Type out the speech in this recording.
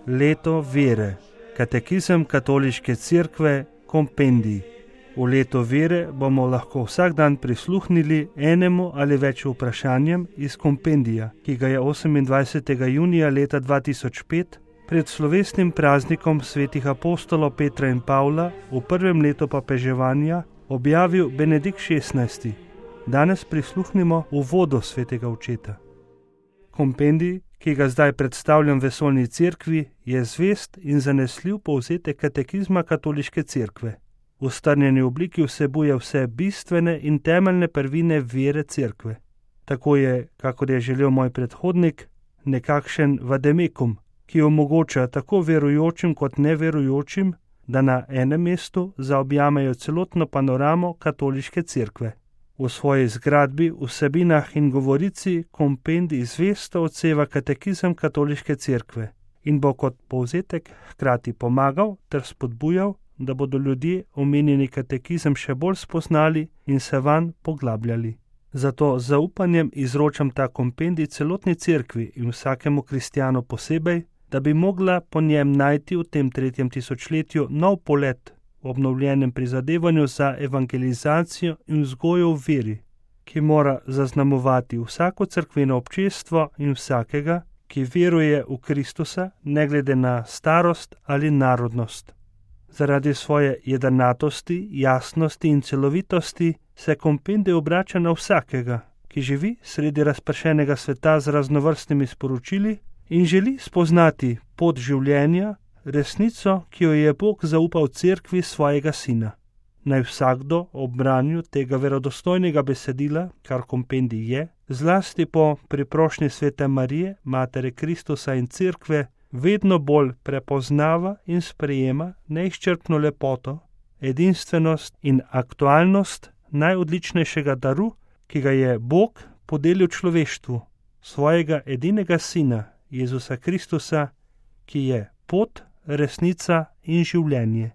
Leto vere, katekizem Katoliške cerkve, kompendij. V letu vere bomo lahko vsak dan prisluhnili enemu ali več vprašanjem iz kompendija, ki ga je 28. junija leta 2005 pred slovesnim praznikom svetih apostolov Petra in Pavla v prvem letu papeževanja objavil Benedikt XVI. Danes prisluhnimo uvodu svetega očeta. Kompendij, ki ga zdaj predstavljam vesoljni cerkvi, je zvest in zanesljiv povzetek katekizma Katoliške cerkve. V strnjeni obliki vsebuje vse bistvene in temeljne prvine vere cerkve. Tako je, kakor je želel moj predhodnik, nekakšen vademekum, ki omogoča tako verujočim kot neverujočim, da na enem mestu zaobjamejo celotno panoramo Katoliške cerkve. V svoji zgradbi, vsebinah in govorici kompendij zvesto odseva katekizem Katoliške cerkve in bo kot povzetek hkrati pomagal ter spodbujal, da bodo ljudje omenjeni katekizem še bolj spoznali in se vanj poglabljali. Zato z zaupanjem izročam ta kompendij celotni cerkvi in vsakemu kristjanu posebej, da bi mogla po njem najti v tem 3. tisočletju nov polet v obnovljenem prizadevanju za evangelizacijo in vzgojo v veri, ki mora zaznamovati vsako cerkveno občestvo in vsakega, ki veruje v Kristusa, ne glede na starost ali narodnost. Zaradi svoje jedrnatosti, jasnosti in celovitosti se kompendij obrača na vsakega, ki živi sredi razpršenega sveta z raznovrstnimi sporočili in želi spoznati pot življenja, resnico, ki jo je Bog zaupal cerkvi svojega sina. Naj vsakdo ob branju tega verodostojnega besedila, kar kompendij je, zlasti po priprošnji svete Marije, Matere Kristusa in cerkve, vedno bolj prepoznava in sprejema neizčrpno lepoto, edinstvenost in aktualnost najodličnejšega daru, ki ga je Bog podelil človeštvu, svojega edinega sina, Jezusa Kristusa, ki je pot, resnica in življenje.